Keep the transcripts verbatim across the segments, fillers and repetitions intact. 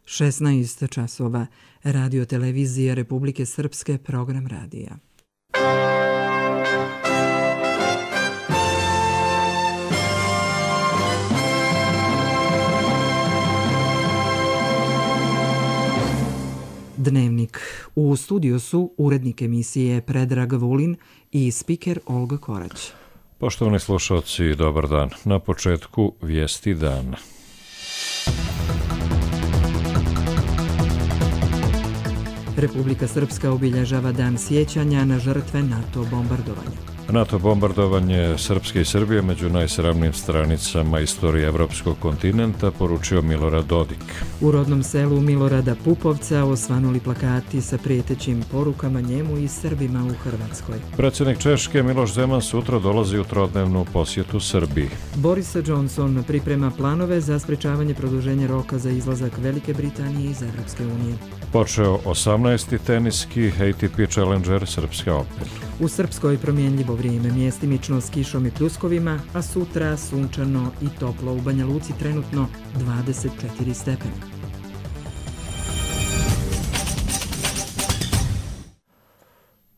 šesnaest časova. Radio televizija Republike Srpske, program radija. Dnevnik. U studiju su urednik emisije Predrag Vulin i spiker Olga Korać. Poštovani slušalci, dobar dan. Na početku vijesti dana. Republika Srpska obilježava dan sjećanja na žrtve NATO bombardovanja. NATO bombardovanje Srpske i Srbije među najsramnijim stranicama istorije evropskog kontinenta, poručio Milorad Dodik. U rodnom selu Milorada Pupovca osvanuli plakati sa prijetećim porukama njemu i Srbima u Hrvatskoj. Predsjednik Češke Miloš Zeman sutra dolazi u trodnevnu posjetu Srbiji. Boris Johnson priprema planove za sprečavanje produženja roka za izlazak Velike Britanije iz Evropske unije. Počeo osamnaesti teniski A T P Challenger Srpska Open. U Srpskoj promjenljivo vrijeme, mjestimično s kišom i pljuskovima, a sutra sunčano i toplo. U Banja Luci trenutno dvadeset četiri stepena.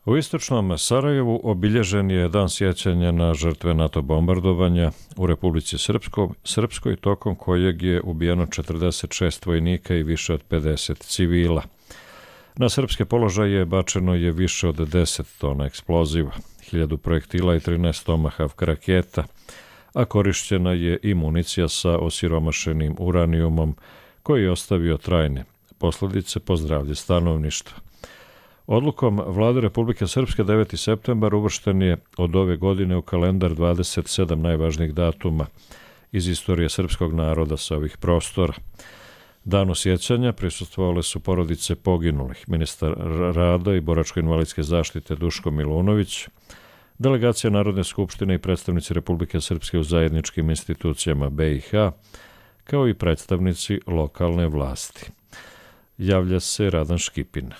U istočnom Sarajevu obilježen je dan sjećanja na žrtve NATO bombardovanja u Republici Srpskoj, Srpskoj tokom kojeg je ubijeno četrdeset šest vojnika i više od pedeset civila. Na srpske položaje bačeno je više od deset tona eksploziva, hiljadu projektila i trinaest Tomahawk raketa, a korišćena je i municija sa osiromašenim uranijumom koji je ostavio trajne posljedice po zdravlje stanovništva. Odlukom Vlade Republike Srpske deveti septembar uvršten je od ove godine u kalendar dvadeset sedam najvažnijih datuma iz istorije srpskog naroda sa ovih prostora. Danu sjećanja prisustvovale su porodice poginulih, ministar rada i boračko-invalidske zaštite Duško Milunović, delegacija Narodne skupštine i predstavnici Republike Srpske u zajedničkim institucijama B i H, kao i predstavnici lokalne vlasti. Javlja se Radan Škipin.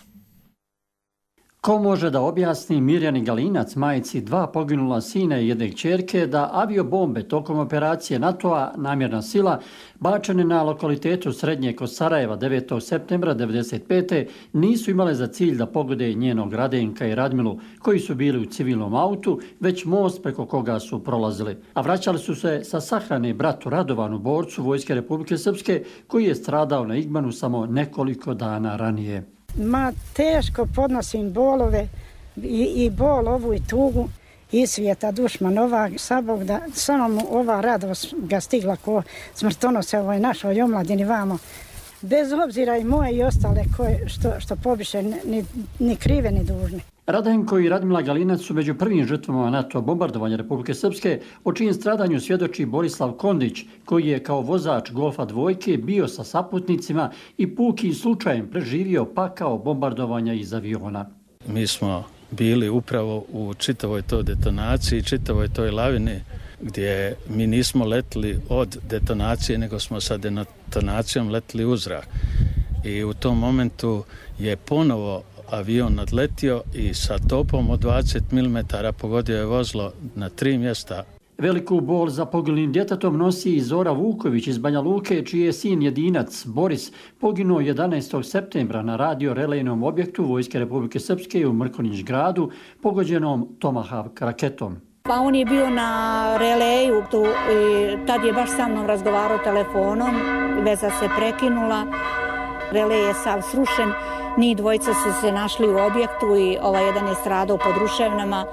Ko može da objasni Mirjani Galinac, majci dva poginula sina i jedne kćerke, da aviobombe tokom operacije NATO-a Namjerna sila bačene na lokalitetu srednje kod Sarajeva devetog septembra devedeset pete nisu imale za cilj da pogode njenog Radenka i Radmilu koji su bili u civilnom autu, već most preko koga su prolazili. A vraćali su se sa sahrane bratu Radovanu, borcu Vojske Republike Srpske koji je stradao na Igmanu samo nekoliko dana ranije. Ma teško podnosim bolove i, i bol ovu i tugu i svijeta dušmanova. Sabog da samo mu ova radost ga stigla ko smrtonose ovoj našoj omladini vamo. Bez obzira i moje i ostale koje što, što pobiše ni, ni krive ni dužne. Radenko i Radmila Galinac su među prvim žrtvama NATO bombardovanja Republike Srpske, o čijem stradanju svjedoči Borislav Kondić, koji je kao vozač Golfa dvojke bio sa saputnicima i pukim slučajem preživio pakao bombardovanja iz aviona. Mi smo bili upravo u čitavoj toj detonaciji, čitavoj toj lavini, gdje mi nismo letili od detonacije, nego smo sa detonacijom letili u zrak. I u tom momentu je ponovo avion nadletio i sa topom od dvadeset milimetara pogodio je vozilo na tri mjesta. Veliku bol za poginulim djetetom nosi i Zora Vuković iz Banja Luke, čiji je sin jedinac Boris poginuo jedanaestog septembra na radio relejnom objektu Vojske Republike Srpske u Mrkonjić gradu pogođenom Tomahawk raketom. Pa on je bio na releju tu i tad je baš sa mnom razgovarao telefonom, veza se prekinula, relej je sav srušen. Njih dvojica su se našli u objektu i ovaj jedan je stradao pod ruševnama.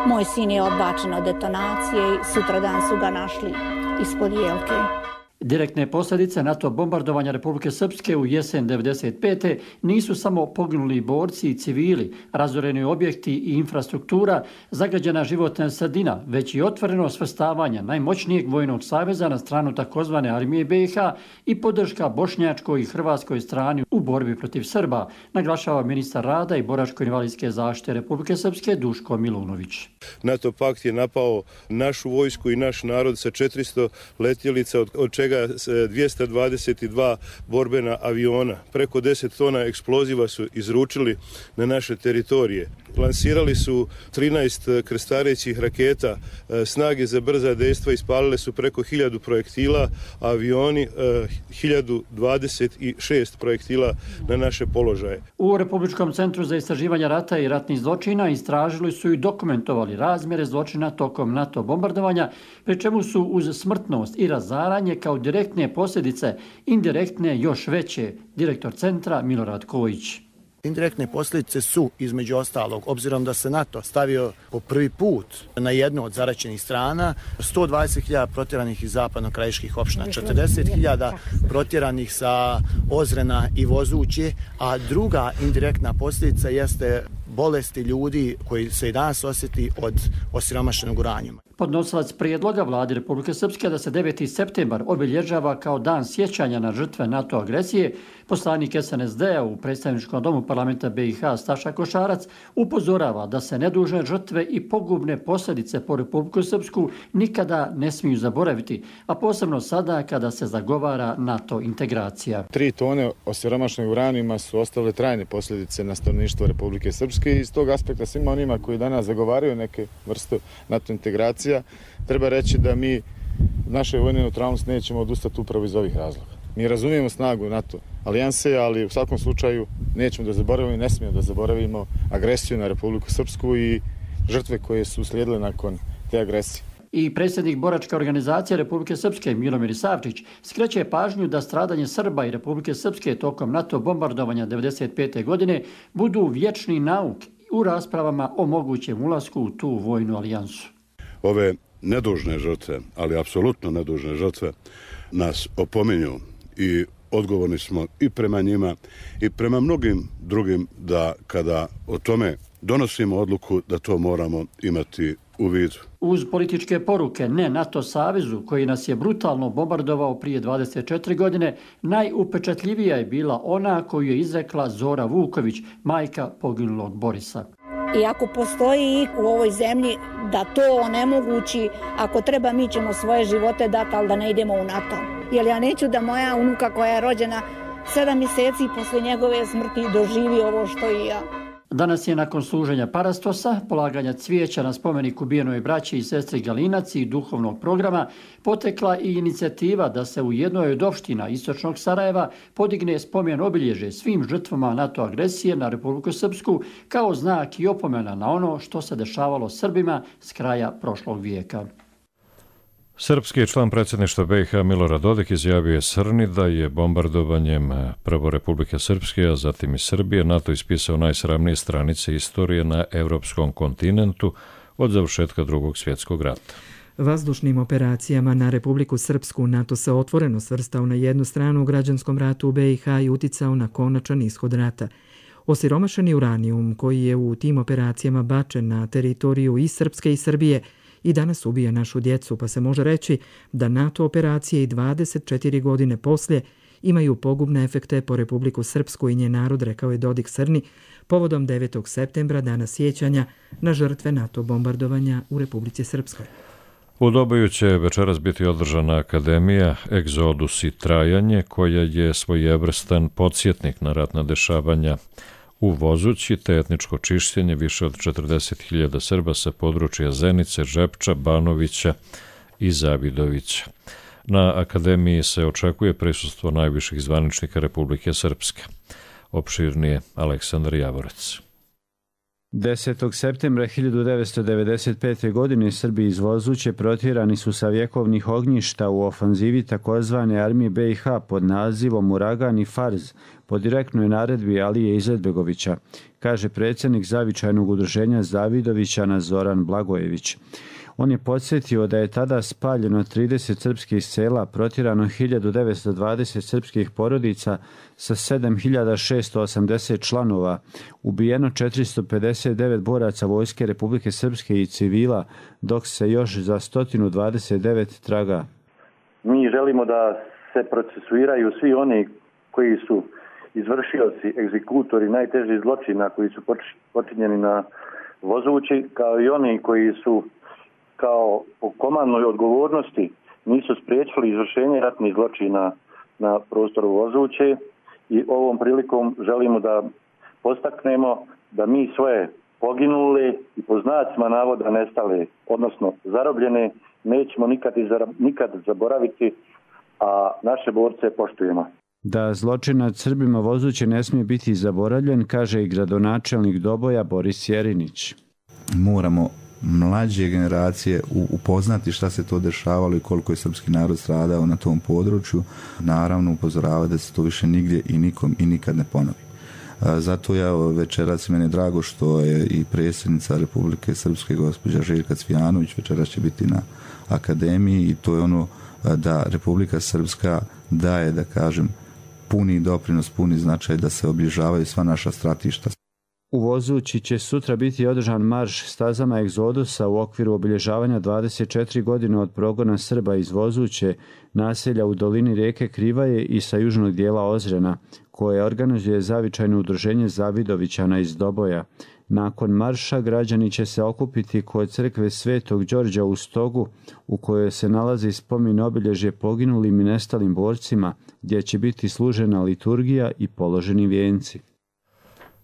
Moj sin je odbačen od detonacije i sutradan su ga našli ispod jelke. Direktne posljedice NATO bombardovanja Republike Srpske u jesen devedeset pete nisu samo poginuli borci i civili, razoreni objekti i infrastruktura, zagađena životna sredina, već i otvoreno svrstavanje najmoćnijeg vojnog saveza na stranu takozvane armije B i H i podrška bošnjačkoj i hrvatskoj strani u borbi protiv Srba, naglašava ministar rada i boračko-invalidske zaštite Republike Srpske Duško Milunović. NATO pakt je napao našu vojsku i naš narod sa četiristo letjelica, od, od čega svega dvjesto dvadeset dva borbena aviona. Preko deset tona eksploziva su izručili na naše teritorije. Lansirali su trinaest krstarećih raketa, snage za brza dejstva ispalile su preko hiljadu projektila, a avioni hiljadu dvadeset šest projektila na naše položaje. U Republičkom centru za istraživanje rata i ratnih zločina istražili su i dokumentovali razmjere zločina tokom NATO bombardovanja, pri čemu su uz smrtnost i razaranje kao direktne posljedice, indirektne još veće, direktor centra Milorad Kojić. Indirektne posljedice su, između ostalog, obzirom da se NATO stavio po prvi put na jednu od zaraćenih strana, sto dvadeset hiljada protjeranih iz zapadno-krajiških opština, četrdeset hiljada protjeranih sa Ozrena i Vozuće, a druga indirektna posljedica jeste bolesti ljudi koji se i danas osjeti od osiromašenog uranijuma. Podnosilac prijedloga vladi Republike Srpske da se deveti septembar obilježava kao dan sjećanja na žrtve NATO agresije, poslanik S N S D-a u predstavničkom domu parlamenta B i H Staša Košarac upozorava da se nedužne žrtve i pogubne posljedice po Republiku Srpsku nikada ne smiju zaboraviti, a posebno sada kada se zagovara NATO integracija. Tri tone osiromašenog uranijuma su ostavile trajne posljedice na stanovništvo Republike Srpske i iz tog aspekta svima onima koji danas zagovaraju neke vrste NATO integracije treba reći da mi naše vojne neutralnosti nećemo odustati upravo iz ovih razloga. Mi razumijemo snagu NATO alijanse, ali u svakom slučaju nećemo da zaboravimo i ne smijemo da zaboravimo agresiju na Republiku Srpsku i žrtve koje su slijedile nakon te agresije. I predsjednik boračke organizacije Republike Srpske Milomir Savčić skreće pažnju da stradanje Srba i Republike Srpske tokom NATO bombardovanja devedeset pete. godine budu vječni nauk u raspravama o mogućem ulasku u tu vojnu alijansu. Ove nedužne žrtve, ali apsolutno nedužne žrtve, nas opominju i odgovorni smo i prema njima i prema mnogim drugim da kada o tome donosimo odluku da to moramo imati u vidu. Uz političke poruke ne NATO savezu koji nas je brutalno bombardovao prije dvadeset četiri godine, najupečatljivija je bila ona koju je izrekla Zora Vuković, majka poginulog Borisa. I ako postoji u ovoj zemlji da to onemogući, ako treba mi ćemo svoje živote dati, ali da ne idemo u NATO. Jer ja neću da moja unuka koja je rođena sedam mjeseci posle njegove smrti doživi ovo što i ja. Danas je nakon služenja parastosa, polaganja cvijeća na spomenik ubijenoj braći i sestri Galinac i duhovnog programa, potekla i inicijativa da se u jednoj od opština istočnog Sarajeva podigne spomen obilježje svim žrtvama NATO agresije na Republiku Srpsku kao znak i opomena na ono što se dešavalo Srbima s kraja prošlog vijeka. Srpski član predsjedništva B i H Milorad Dodik izjavio je Srni da je bombardovanjem prvo Republike Srpske, a zatim i Srbije, NATO ispisao najsramnije stranice istorije na evropskom kontinentu od završetka drugog svjetskog rata. Vazdušnim operacijama na Republiku Srpsku NATO se otvoreno svrstao na jednu stranu u građanskom ratu u B i H i uticao na konačan ishod rata. Osiromašeni uranijum koji je u tim operacijama bačen na teritoriju i Srpske i Srbije i danas ubija našu djecu, pa se može reći da NATO operacije i dvadeset četiri godine poslije imaju pogubne efekte po Republiku Srpsku i njen narod, rekao je Dodik Srni, povodom devetog septembra, dana sjećanja na žrtve NATO bombardovanja u Republici Srpskoj. U Doboju će večeras biti održana akademija Egzodus i trajanje, koja je svojevrstan podsjetnik na ratna dešavanja u Vozući, te etničko čišćenje više od četrdeset hiljada Srba sa područja Zenice, Žepča, Banovića i Zavidovića. Na akademiji se očekuje prisustvo najviših zvaničnika Republike Srpske. Opširnije Aleksandar Javorec. desetog septembra hiljadu devetsto devedeset pete. godine Srbi iz Vozuće protjerani su sa vjekovnih ognjišta u ofanzivi takozvane armije B i H pod nazivom Uragan i Farz po direktnoj naredbi Alije Izetbegovića, kaže predsjednik zavičajnog udruženja Zavidovića Zoran Blagojević. On je podsjetio da je tada spaljeno trideset srpskih sela, protjerano hiljadu devetsto dvadeset srpskih porodica sa sedam hiljada šesto osamdeset članova, ubijeno četiristo pedeset devet boraca Vojske Republike Srpske i civila, dok se još za sto dvadeset devet traga. Mi želimo da se procesuiraju svi oni koji su izvršioci, egzekutori najtežih zločina koji su počinjeni na Vozući, kao i oni koji su kao po komandnoj odgovornosti nisu spriječili izvršenje ratnih zločina na prostoru Vozuće i ovom prilikom želimo da postaknemo da mi svoje poginuli i po znacima navoda nestale, odnosno zarobljene, nećemo nikad, nikad zaboraviti, a naše borce poštujemo. Da zločin nad Srbima Vozuće ne smije biti zaboravljen, kaže i gradonačelnik Doboja Boris Jerinić. Moramo mlađe generacije upoznati šta se to dešavalo i koliko je srpski narod stradao na tom području. Naravno upozoravati da se to više nigdje i nikom i nikad ne ponovi. Zato ja večeras, meni je drago što je i predsjednica Republike Srpske gospođa Željka Cvijanović večeras će biti na akademiji i to je ono da Republika Srpska daje, da kažem, puni doprinos, puni značaj da se obilježavaju sva naša stratišta. U Vozući će sutra biti održan marš stazama egzodusa u okviru obilježavanja dvadeset četiri godine od progona Srba iz Vozuće, naselja u dolini rijeke Krivaje i sa južnog dijela Ozrena, koje organizuje zavičajno udruženje Zavidovićana iz Doboja. Nakon marša građani će se okupiti kod crkve Svetog Đorđa u Stogu, u kojoj se nalazi spomen obilježje poginulim i nestalim borcima, gdje će biti služena liturgija i položeni vijenci.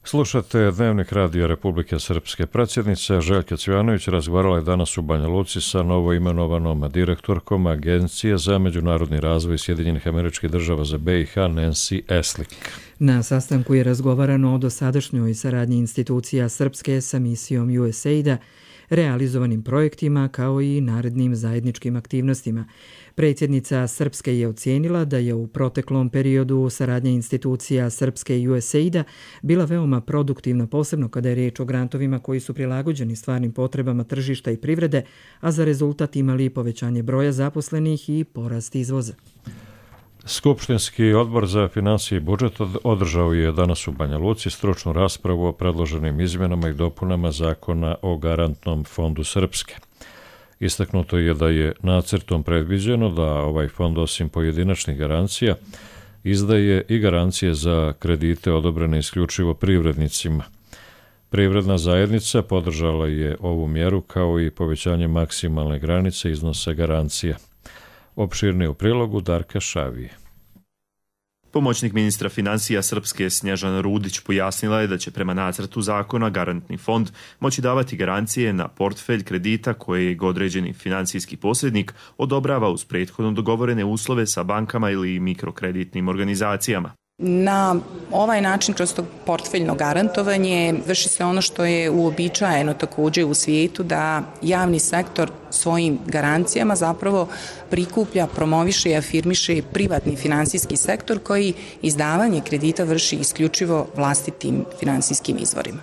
Slušate Dnevnik radija Republike Srpske. Predsjednica Željka Cvijanović razgovarala je danas u Banja Luci sa novoimenovanom direktorkom Agencije za međunarodni razvoj Sjedinjenih Američkih Država za B i H Nancy Eslik. Na sastanku je razgovarano o dosadašnjoj saradnji institucija Srpske sa misijom U S A I D-a, realizovanim projektima kao i narednim zajedničkim aktivnostima. Predsjednica Srpske je ocijenila da je u proteklom periodu saradnja institucija Srpske i U S A I D-a bila veoma produktivna, posebno kada je riječ o grantovima koji su prilagođeni stvarnim potrebama tržišta i privrede, a za rezultat imali povećanje broja zaposlenih i porast izvoza. Skupštinski odbor za financije i budžet održao je danas u Banja Luci stručnu raspravu o predloženim izmjenama i dopunama zakona o garantnom fondu Srpske. Istaknuto je da je nacrtom predviđeno da ovaj fond osim pojedinačnih garancija izdaje i garancije za kredite odobrene isključivo privrednicima. Privredna zajednica podržala je ovu mjeru kao i povećanje maksimalne granice iznosa garancija. Opširnije u prilogu Darka Šavije. Pomoćnik ministra financija Srpske Snježana Rudić pojasnila je da će prema nacrtu zakona garantni fond moći davati garancije na portfelj kredita koje određeni financijski posrednik odobrava uz prethodno dogovorene uslove sa bankama ili mikrokreditnim organizacijama. Na ovaj način, kroz to portfeljno garantovanje, vrši se ono što je uobičajeno također u svijetu, da javni sektor svojim garancijama zapravo prikuplja, promoviše i afirmiše privatni finansijski sektor koji izdavanje kredita vrši isključivo vlastitim finansijskim izvorima.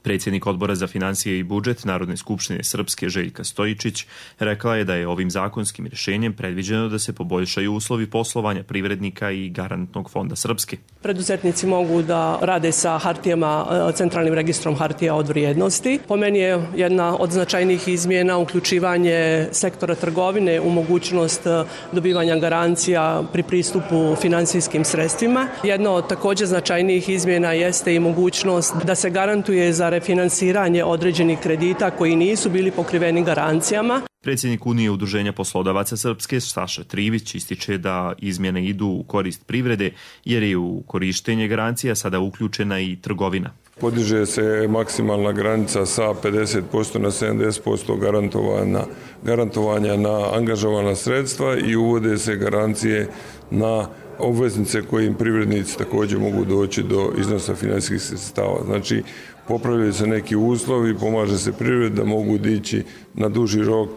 Predsjednik odbora za financije i budžet Narodne skupštine Srpske Željka Stojičić rekla je da je ovim zakonskim rješenjem predviđeno da se poboljšaju uslovi poslovanja privrednika i garantnog fonda Srpske. Preduzetnici mogu da rade sa hartijama, centralnim registrom hartija od vrijednosti. Po meni je jedna od značajnijih izmjena uključivanje sektora trgovine u mogućnost dobivanja garancija pri pristupu finansijskim sredstvima. Jedna od također značajnijih izmjena jeste i mogućnost da se garantuje za refinansiranje određenih kredita koji nisu bili pokriveni garancijama. Predsjednik Unije udruženja poslodavaca Srpske Saša Trivić ističe da izmjene idu u korist privrede jer je u korištenje garancija sada uključena i trgovina. Podiže se maksimalna granica sa pedeset posto na sedamdeset posto garantovanja, garantovanja na angažovana sredstva i uvode se garancije na obveznice kojim privrednici također mogu doći do iznosa financijskih sredstava. Znači, popravljaju se neki uslovi, pomaže se privredi da mogu dići na duži rok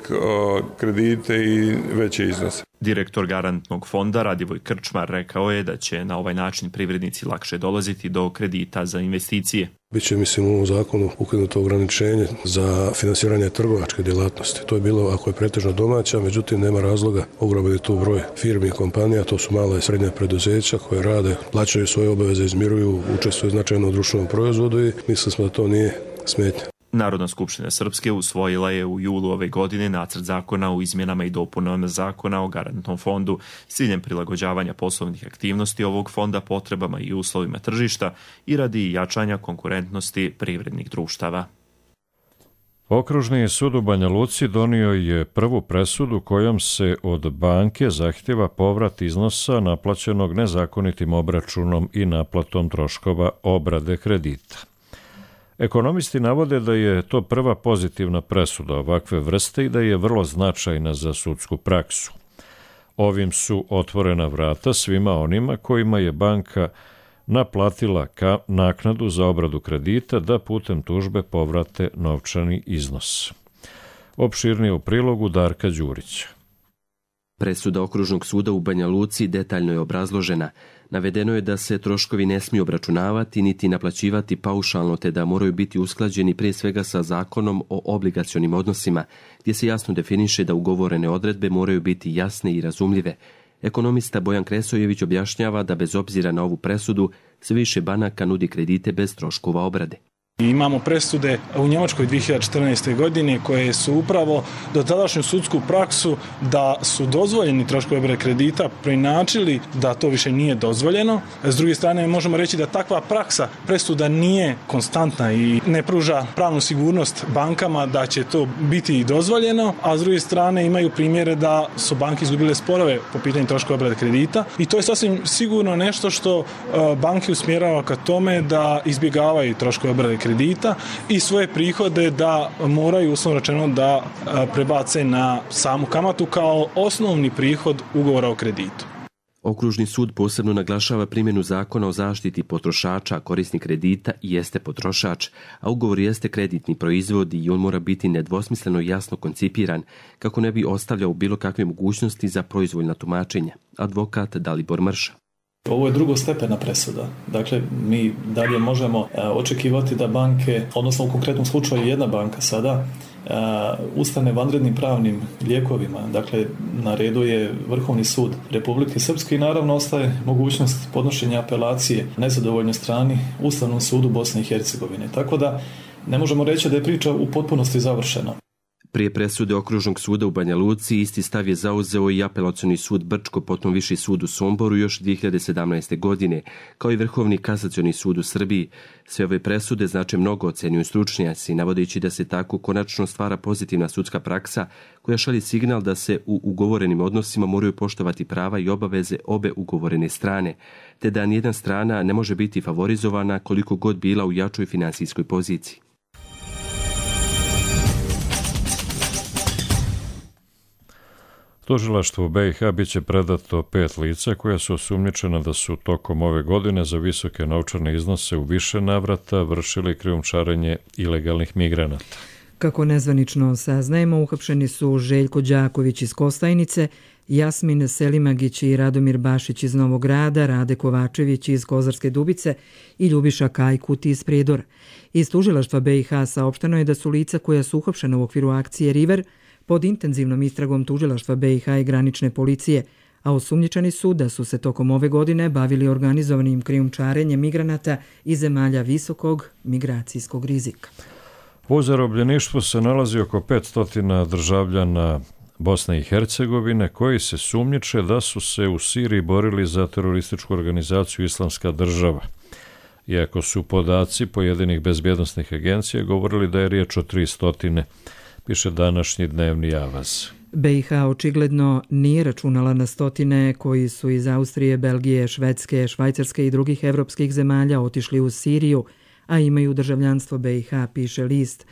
kredite i veće iznose. Direktor garantnog fonda Radivoj Krčmar rekao je da će na ovaj način privrednici lakše dolaziti do kredita za investicije. Biće, mislim, u ovom zakonu ukinuto ograničenje za finansiranje trgovačke djelatnosti. To je bilo ako je pretežno domaća, međutim nema razloga. Ogroman je tu broj firmi i kompanija, to su mala i srednja preduzeća koje rade, plaćaju svoje obaveze, izmiruju, učestvuju značajno u društvenom proizvodu i mislim smo da to nije smetnja. Narodna skupština Srpske usvojila je u julu ove godine nacrt zakona o izmjenama i dopunama zakona o garantnom fondu s ciljem prilagođavanja poslovnih aktivnosti ovog fonda potrebama i uslovima tržišta i radi jačanja konkurentnosti privrednih društava. Okružni sud u Banja Luci donio je prvu presudu kojom se od banke zahtjeva povrat iznosa naplaćenog nezakonitim obračunom i naplatom troškova obrade kredita. Ekonomisti navode da je to prva pozitivna presuda ovakve vrste i da je vrlo značajna za sudsku praksu. Ovim su otvorena vrata svima onima kojima je banka naplatila ka naknadu za obradu kredita da putem tužbe povrate novčani iznos. Opširnije u prilogu Darka Đurića. Presuda Okružnog suda u Banja Luci detaljno je obrazložena. Navedeno je da se troškovi ne smiju obračunavati niti naplaćivati paušalno, te da moraju biti usklađeni prije svega sa zakonom o obligacionim odnosima, gdje se jasno definiše da ugovorene odredbe moraju biti jasne i razumljive. Ekonomista Bojan Kresojević objašnjava da bez obzira na ovu presudu sve više banaka nudi kredite bez troškova obrade. Imamo presude u Njemačkoj dvije hiljade četrnaeste. godine koje su upravo dotadašnju sudsku praksu da su dozvoljeni troškovi obrade kredita preinačili da to više nije dozvoljeno. S druge strane možemo reći da takva praksa presuda nije konstantna i ne pruža pravnu sigurnost bankama da će to biti i dozvoljeno, a s druge strane imaju primjere da su banke izgubile sporove po pitanju troškova obrade kredita i to je sasvim sigurno nešto što banke usmjerava ka tome da izbjegavaju troškove obrade kredita kredita i svoje prihode da moraju uslovno rečeno da prebace na samu kamatu kao osnovni prihod ugovora o kreditu. Okružni sud posebno naglašava primjenu zakona o zaštiti potrošača, korisnik kredita jeste potrošač, a ugovor jeste kreditni proizvod i on mora biti nedvosmisleno i jasno koncipiran kako ne bi ostavljao bilo kakve mogućnosti za proizvoljna tumačenja. Advokat Dalibor Mrša. Ovo je drugostepena presuda. Dakle, mi dalje možemo očekivati da banke, odnosno u konkretnom slučaju jedna banka sada, ustane vanrednim pravnim lijekovima. Dakle, na redu je Vrhovni sud Republike Srpske i naravno ostaje mogućnost podnošenja apelacije nezadovoljnoj strani Ustavnom sudu Bosne i Hercegovine. Tako da ne možemo reći da je priča u potpunosti završena. Prije presude Okružnog suda u Banja Luci isti stav je zauzeo i Apelacioni sud Brčko, potom Viši sud u Somboru još dvije hiljade sedamnaeste. godine, kao i Vrhovni kasacioni sud u Srbiji. Sve ove presude znače mnogo, ocenjuju stručnjaci, navodeći da se tako konačno stvara pozitivna sudska praksa koja šalje signal da se u ugovorenim odnosima moraju poštovati prava i obaveze obe ugovorene strane, te da nijedna strana ne može biti favorizovana koliko god bila u jačoj finansijskoj poziciji. Tužilaštvu B i H bit će predato pet lica koja su osumnjičena da su tokom ove godine za visoke novčane iznose u više navrata vršili krijumčarenje ilegalnih migranata. Kako nezvanično saznajemo, uhapšeni su Željko Đaković iz Kostajnice, Jasmin Selimagić i Radomir Bašić iz Novog Grada, Rade Kovačević iz Kozarske Dubice i Ljubiša Kajkut iz Prijedora. Iz tužilaštva B i H saopšteno je da su lica koja su uhapšena u okviru akcije River pod intenzivnom istragom tužilaštva B i H i granične policije, a osumnjičeni su da su se tokom ove godine bavili organizovanim krijumčarenjem migranata iz zemalja visokog migracijskog rizika. U zarobljeništvu se nalazi oko petsto državljana Bosne i Hercegovine koji se sumnjiče da su se u Siriji borili za terorističku organizaciju Islamska država. Iako su podaci pojedinih bezbjednosnih agencija govorili da je riječ o tri stotine, piše današnji dnevni Avaz. B i H očigledno nije računala na stotine koji su iz Austrije, Belgije, Švedske, Švajcarske i drugih evropskih zemalja otišli u Siriju, a imaju državljanstvo B i H, piše list.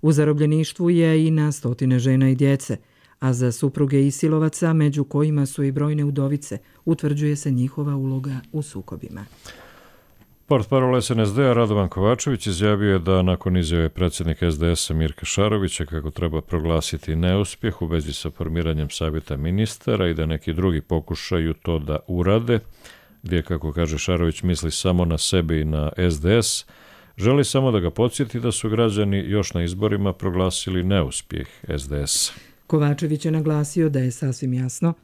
U zarobljeništvu je i na stotine žena i djece, a za supruge isilovaca, među kojima su i brojne udovice, utvrđuje se njihova uloga u sukobima. Portparol S N S D-a Radovan Kovačević izjavio je da nakon izjave predsjednika S D S-a Mirka Šarovića kako treba proglasiti neuspjeh u vezi sa formiranjem savjeta ministara i da neki drugi pokušaju to da urade, gdje, kako kaže Šarović, misli samo na sebe i na S D S, želi samo da ga podsjeti da su građani još na izborima proglasili neuspjeh S D S-a. Kovačević je naglasio da je sasvim jasno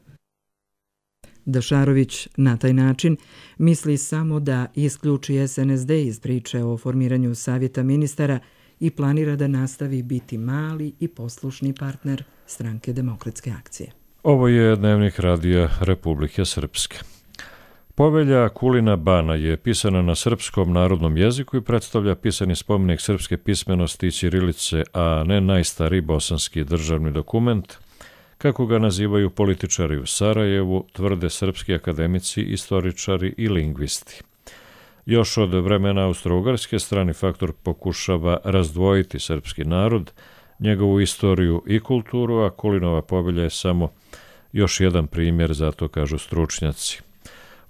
da Šarović na taj način misli samo da isključi S N S D iz priče o formiranju savjeta ministara i planira da nastavi biti mali i poslušni partner Stranke demokratske akcije. Ovo je dnevnik Radija Republike Srpske. Povelja Kulina Bana je pisana na srpskom narodnom jeziku i predstavlja pisani spomenik srpske pismenosti i ćirilice, a ne najstariji bosanski državni dokument, kako ga nazivaju političari u Sarajevu, tvrde srpski akademici, istoričari i lingvisti. Još od vremena Austro-Ugarske strani faktor pokušava razdvojiti srpski narod, njegovu istoriju i kulturu, a Kulinova povelja je samo još jedan primjer, zato kažu stručnjaci.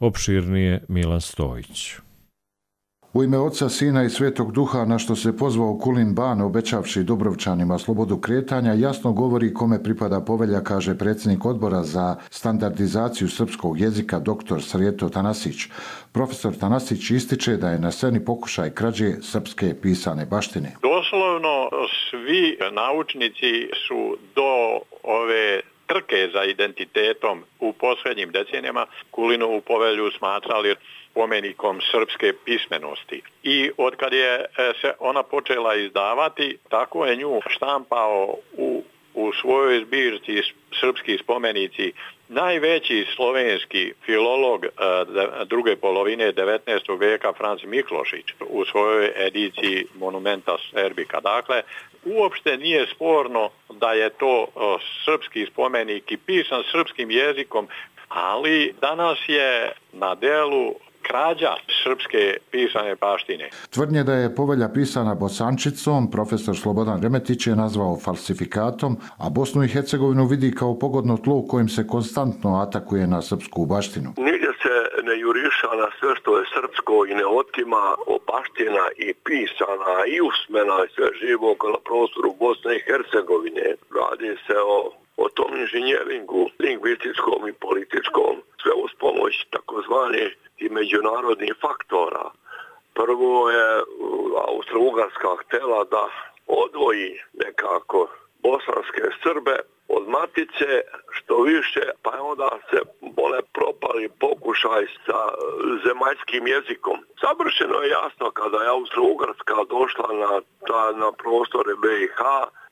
Opširnije Milan Stojić. U ime Oca, Sina i Svetog Duha, na što se pozvao Kulin Ban, obećavši Dubrovčanima slobodu kretanja, jasno govori kome pripada povelja, kaže predsjednik odbora za standardizaciju srpskog jezika dr. Sreto Tanasić. Profesor Tanasić ističe da je na sceni pokušaj krađe srpske pisane baštine. Doslovno svi naučnici su do ove trke za identitetom u posljednjim decenijama Kulinovu povelju smatrali spomenikom srpske pismenosti. I od kad je se ona počela izdavati, tako je nju štampao u, u svojoj zbirci srpski spomenici najveći slovenski filolog druge polovine devetnaestog vijeka Franz Miklošić u svojoj ediciji Monumenta Serbika. Dakle, uopšte nije sporno da je to srpski spomenik i pisan srpskim jezikom, ali danas je na delu krađa srpske pisane baštine. Tvrdnje da je povelja pisana bosančicom profesor Slobodan Remetić je nazvao falsifikatom, a Bosnu i Hercegovinu vidi kao pogodno tlo u kojem se konstantno atakuje na srpsku baštinu. Nigdje se ne juriša na sve što je srpsko i ne otima baština i pisana i usmena i sve živo na prostoru Bosne i Hercegovine. Radi se o o tom inženjeringu lingvističkom i političkom, sve uz pomoć takozvanih i međunarodnih faktora. Prvo je Austro-Ugarska htjela da odvoji nekako bosanske Srbe od matice, što više, pa je onda se bole propali pokušaj sa zemaljskim jezikom. Savršeno je jasno kada je Austro-Ugarska došla na, na prostore B i H,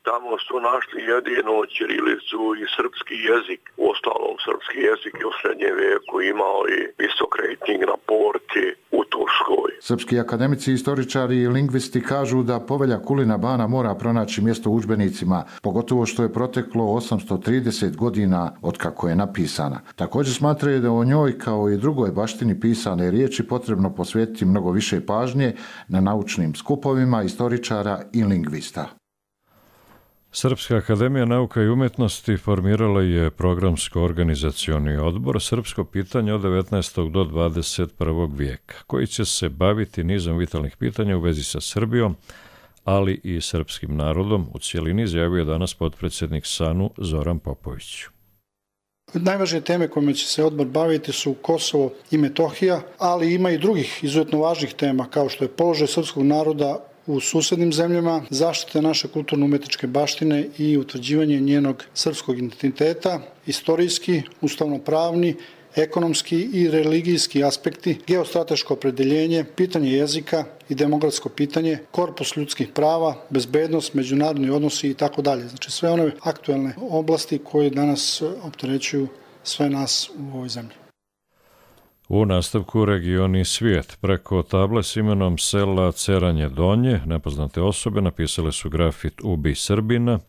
tamo su našli jedino ćirilicu i srpski jezik. U ostalom, srpski jezik je u srednjem vijeku imao i visok rejting na porti u Turskoj. Srpski akademici, istoričari i lingvisti kažu da povelja Kulina Bana mora pronaći mjesto u udžbenicima, pogotovo što je proteklo osamsto trideset godina od kako je napisana. Također smatraju da o njoj, kao i drugoj baštini pisane riječi, potrebno posvetiti mnogo više pažnje na naučnim skupovima istoričara i lingvista. Srpska akademija nauka i umjetnosti formirala je programsko-organizacioni odbor Srpsko pitanje od devetnaestog do dvadeset prvog vijeka, koji će se baviti nizom vitalnih pitanja u vezi sa Srbijom, ali i srpskim narodom. U cijelini izjavio je danas potpredsjednik SANU Zoran Popović. Najvažnije teme kojima će se odbor baviti su Kosovo i Metohija, ali ima i drugih izuzetno važnih tema, kao što je položaj srpskog naroda u susednim zemljama, zaštite naše kulturno-umetničke baštine i utvrđivanje njenog srpskog identiteta, istorijski, ustavno-pravni, ekonomski i religijski aspekti, geostrateško opredeljenje, pitanje jezika i demografsko pitanje, korpus ljudskih prava, bezbednost, međunarodni odnosi i tako dalje. Znači sve one aktuelne oblasti koje danas opterećuju sve nas u ovoj zemlji. U nastavku regioni svijet. Preko table s imenom sela Ceranje Donje nepoznate osobe napisale su grafit Ubi Srbina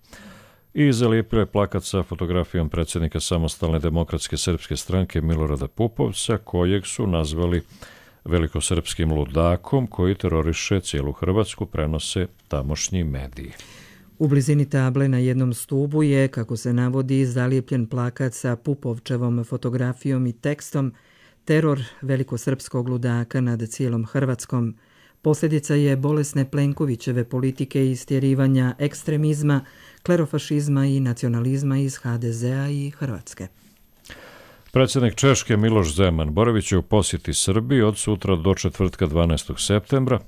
i zalijepile plakat sa fotografijom predsjednika Samostalne demokratske srpske stranke Milorada Pupovca, kojeg su nazvali velikosrpskim ludakom koji teroriše cijelu Hrvatsku, prenose tamošnji mediji. U blizini table na jednom stubu je, kako se navodi, zalijepljen plakat sa Pupovčevom fotografijom i tekstom Teror velikosrpskog ludaka nad cijelom Hrvatskom. Posljedica je bolesne Plenkovićeve politike i istjerivanja ekstremizma, klerofašizma i nacionalizma iz ha de zea i Hrvatske. Predsjednik Češke Miloš Zeman boravit će u posjeti Srbiji od sutra do četvrtka dvanaestog septembra,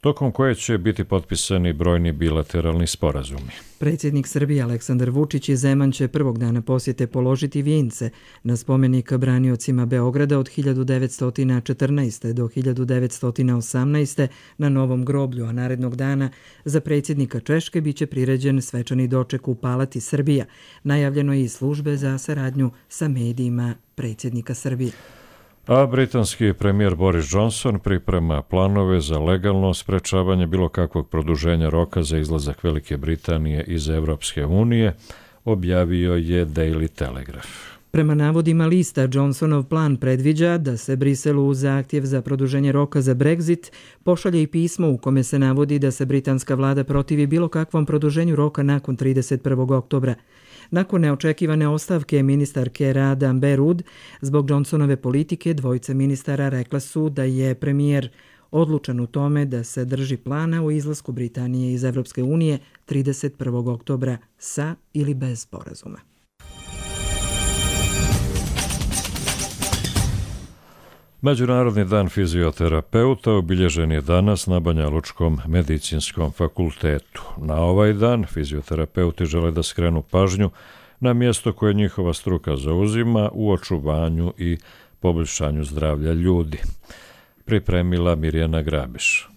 tokom koje će biti potpisani brojni bilateralni sporazumi. Predsjednik Srbije Aleksandar Vučić i Zeman će prvog dana posjete položiti vijence na spomenik braniocima Beograda od hiljadu devetsto četrnaeste. do hiljadu devetsto osamnaeste. na Novom groblju, a narednog dana za predsjednika Češke biće priređen svečani doček u Palati Srbija. Najavljeno je i službe za saradnju sa medijima predsjednika Srbije. A britanski premijer Boris Johnson priprema planove za legalno sprečavanje bilo kakvog produženja roka za izlazak Velike Britanije iz Evropske unije, objavio je Daily Telegraph. Prema navodima lista, Johnsonov plan predviđa da se Briselu u zahtjev za produženje roka za Brexit pošalje i pismo u kome se navodi da se britanska vlada protivi bilo kakvom produženju roka nakon trideset prvog oktobra. Nakon neočekivane ostavke ministarke rada Amber Rudd, zbog Johnsonove politike dvojica ministara rekla su da je premijer odlučan u tome da se drži plana o izlasku Britanije iz Evropske unije trideset prvog oktobra sa ili bez sporazuma. Međunarodni dan fizioterapeuta obilježen je danas na Banjalučkom medicinskom fakultetu. Na ovaj dan fizioterapeuti žele da skrenu pažnju na mjesto koje njihova struka zauzima u očuvanju i poboljšanju zdravlja ljudi. Pripremila Mirjana Grabiš.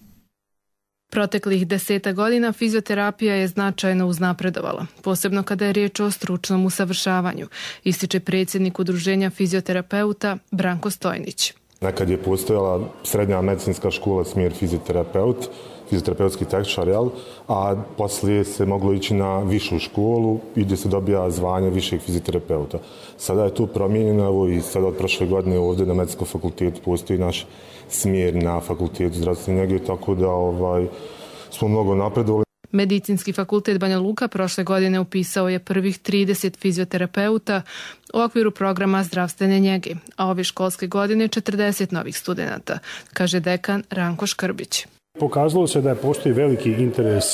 Proteklih deseta godina fizioterapija je značajno uznapredovala, posebno kada je riječ o stručnom usavršavanju, ističe predsjednik Udruženja fizioterapeuta Branko Stojnić. Nekad je postojala srednja medicinska škola smjer fizioterapeut, fizioterapeutski tehničar, jel? A poslije se moglo ići na višu školu i gdje se dobija zvanje višeg fizioterapeuta. Sada je tu promijenjeno i sada od prošle godine ovdje na medicinskom fakultetu postoji naš smjer na fakultetu zdravstvene njege, tako da ovaj, smo mnogo napredovali. Medicinski fakultet Banja Luka prošle godine upisao je prvih trideset fizioterapeuta u okviru programa zdravstvene njege, a ove školske godine četrdeset novih studenata, kaže dekan Ranko Škrbić. Pokazalo se da postoji veliki interes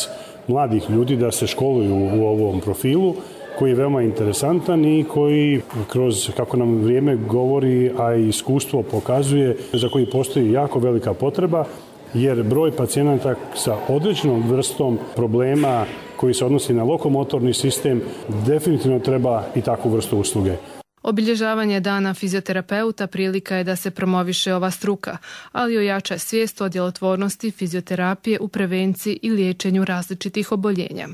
mladih ljudi da se školuju u ovom profilu, koji je veoma interesantan i koji kroz, kako nam vrijeme govori, a i iskustvo pokazuje, za koji postoji jako velika potreba, jer broj pacijenata sa određenom vrstom problema koji se odnosi na lokomotorni sistem definitivno treba i takvu vrstu usluge. Obilježavanje dana fizioterapeuta prilika je da se promoviše ova struka, ali ojača svijest o djelotvornosti fizioterapije u prevenciji i liječenju različitih oboljenja.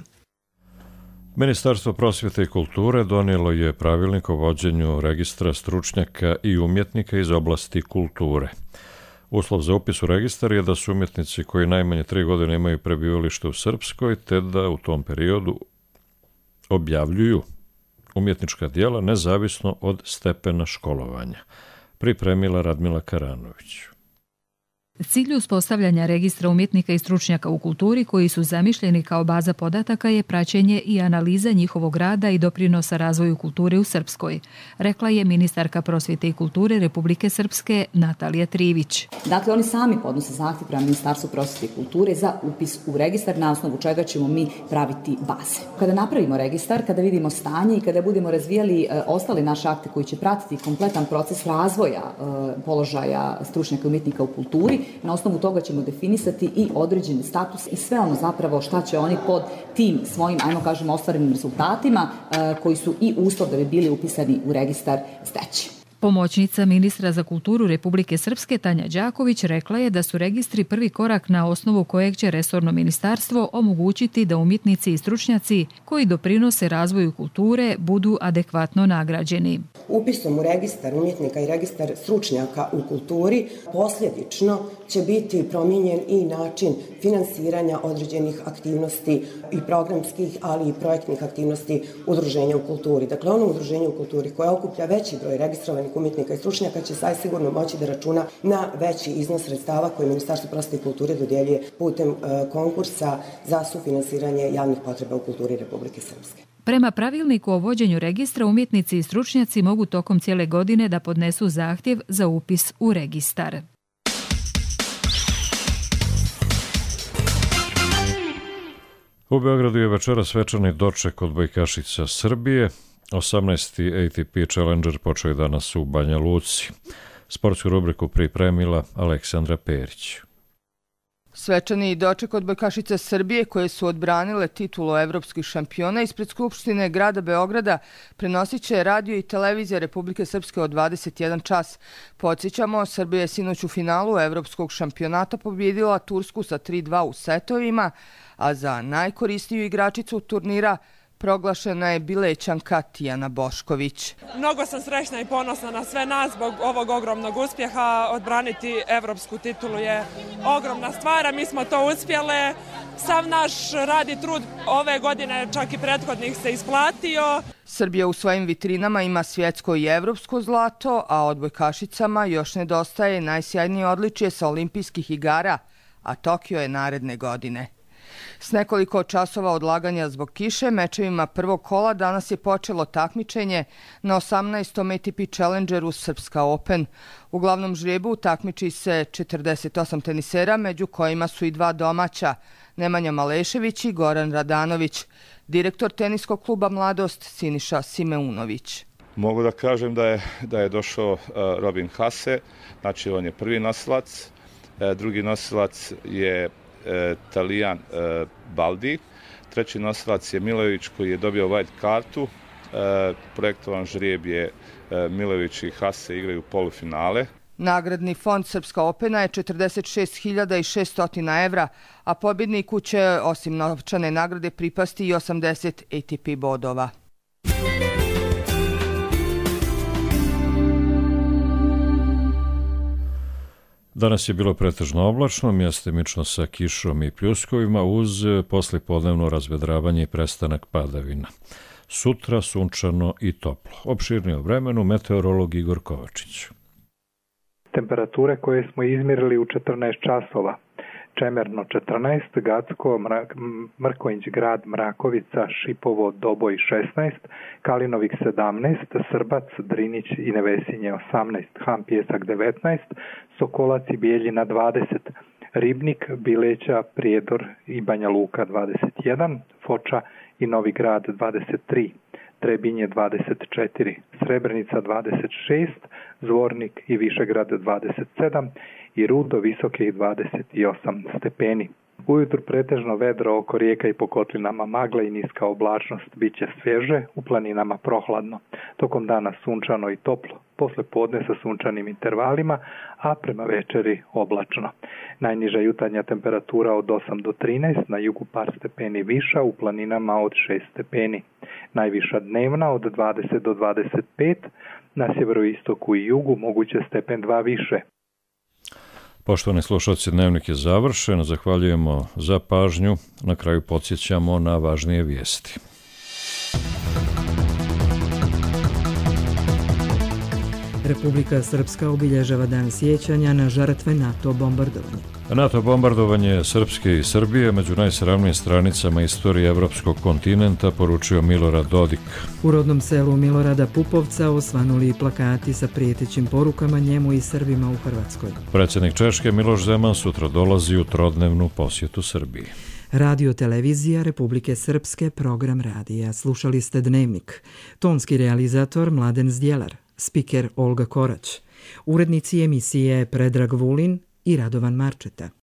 Ministarstvo prosvjete i kulture donijelo je pravilnik o vođenju registra stručnjaka i umjetnika iz oblasti kulture. Uslov za upis u registar je da su umjetnici koji najmanje tri godine imaju prebivalište u Srpskoj, te da u tom periodu objavljuju umjetnička djela nezavisno od stepena školovanja. Pripremila Radmila Karanović. Cilj uspostavljanja registra umjetnika i stručnjaka u kulturi koji su zamišljeni kao baza podataka je praćenje i analiza njihovog rada i doprinosa razvoju kulture u Srpskoj, rekla je ministarka prosvjete i kulture Republike Srpske Natalija Trivić. Dakle, oni sami podnose zahtjev prema Ministarstvu prosvjete i kulture za upis u registar, na osnovu čega ćemo mi praviti baze. Kada napravimo registar, kada vidimo stanje i kada budemo razvijali e, ostale naše akte koji će pratiti kompletan proces razvoja e, položaja stručnjaka i umjetnika u kulturi, na osnovu toga ćemo definisati i određeni status i sve ono zapravo šta će oni pod tim svojim, ajmo kažemo, ostvarenim rezultatima e, koji su i uslov da bi bili upisani u registar steći. Pomoćnica ministra za kulturu Republike Srpske Tanja Đaković rekla je da su registri prvi korak na osnovu kojeg će resorno ministarstvo omogućiti da umjetnici i stručnjaci koji doprinose razvoju kulture budu adekvatno nagrađeni. Upisom u registar umjetnika i registar stručnjaka u kulturi posljedično će biti promijenjen i način finansiranja određenih aktivnosti i programskih, ali i projektnih aktivnosti udruženja u kulturi. Dakle, ono udruženje u kulturi koje okuplja veći broj registrovanih umjetnika i stručnjaka će saj sigurno moći da računa na veći iznos sredstava koje Ministarstvo prosvjete i kulture dodjeljuje putem e, konkursa za sufinansiranje javnih potreba u kulturi Republike Srpske. Prema pravilniku o vođenju registra, umjetnici i stručnjaci mogu tokom cijele godine da podnesu zahtjev za upis u registar. U Beogradu je večera svečani doček odbojkašica Srbije. osamnaesti A T P Challenger počeo je danas u Banja Luci. Sportsku rubriku pripremila Aleksandra Perić. Svečani doček odbojkašica Srbije koje su odbranile titulu evropskih šampiona ispred Skupštine grada Beograda prenosit će radio i televizija Republike Srpske od dvadeset jedan čas. Podsjećamo, Srbija je sinoć u finalu evropskog šampionata pobjedila Tursku sa tri dva u setovima, a za najkorisniju igračicu turnira proglašena je Bilećanka Tijana Bošković. Mnogo sam srećna i ponosna na sve nas zbog ovog ogromnog uspjeha. Odbraniti evropsku titulu je ogromna stvar, a mi smo to uspjele. Sav naš rad i trud ove godine, čak i prethodnih, se isplatio. Srbija u svojim vitrinama ima svjetsko i evropsko zlato, a odbojkašicama još nedostaje najsjajnije odličje sa olimpijskih igara, a Tokio je naredne godine. S nekoliko časova odlaganja zbog kiše, mečevima prvog kola danas je počelo takmičenje na osamnaestom A T P Challengeru Srpska Open. U glavnom žrebu takmiči se četrdeset osam tenisera, među kojima su i dva domaća, Nemanja Malešević i Goran Radanović. Direktor teniskog kluba Mladost Siniša Simeunović. Mogu da kažem da je, da je došao uh, Robin Haase, znači on je prvi nosilac, uh, drugi nosilac je uh, Talijan uh, Baldi, treći nosilac je Milojević koji je dobio white kartu, uh, projektovan žrijeb je uh, Milojević i Haase igraju polufinale. Nagradni fond Srpska Opena je četrdeset šest hiljada šesto evra, a pobjedniku će osim novčane nagrade pripasti i osamdeset A T P bodova. Danas je bilo pretežno oblačno, mjestimično sa kišom i pljuskovima uz poslijepodnevno razvedravanje i prestanak padavina. Sutra sunčano i toplo. Opširnije o vremenu meteorolog Igor Kovačić. Temperature koje smo izmjerili u četrnaest časova. Čemerno četrnaest, Gacko, Mrak, Mrkonjić grad, Mrakovica, Šipovo, Doboj šesnaest, Kalinovik sedamnaest, Srbac, Drinić i Nevesinje osamnaest, Han Pjesak devetnaest, Sokolac i Bijeljina dvadeset, Ribnik, Bileća, Prijedor i Banja Luka dvadeset jedan, Foča i Novi Grad dvadeset tri, Trebinje dvadeset četiri, Srebrenica dvadeset šest, Zvornik i Višegrad dvadeset sedam i Rudo visokih dvadeset osam stepeni. Ujutru pretežno vedro oko rijeka i po kotlinama, magla i niska oblačnost, bit će svježe, u planinama prohladno. Tokom dana sunčano i toplo, posle podne sa sunčanim intervalima, a prema večeri oblačno. Najniža jutarnja temperatura od osam do trinaest, na jugu par stepeni viša, u planinama od šest stepeni. Najviša dnevna od dvadeset do dvadeset pet, na sjeveroistoku i jugu moguće stepen dva više. Poštovani slušalci, dnevnik je završen. Zahvaljujemo za pažnju. Na kraju podsjećamo na važnije vijesti. Republika Srpska obilježava dan sjećanja na žrtve NATO bombardovanja. NATO bombardovanje Srpske i Srbije među najsramnijim stranicama istorije evropskog kontinenta, poručio Milorad Dodik. U rodnom selu Milorada Pupovca osvanuli plakati sa prijetećim porukama njemu i Srbima u Hrvatskoj. Predsjednik Češke Miloš Zeman sutra dolazi u trodnevnu posjetu Srbiji. Radio televizija Republike Srpske, program radija. Slušali ste Dnevnik. Tonski realizator Mladen Zdjelar, spiker Olga Korać, urednici emisije Predrag Vulin i Radovan Marčeta.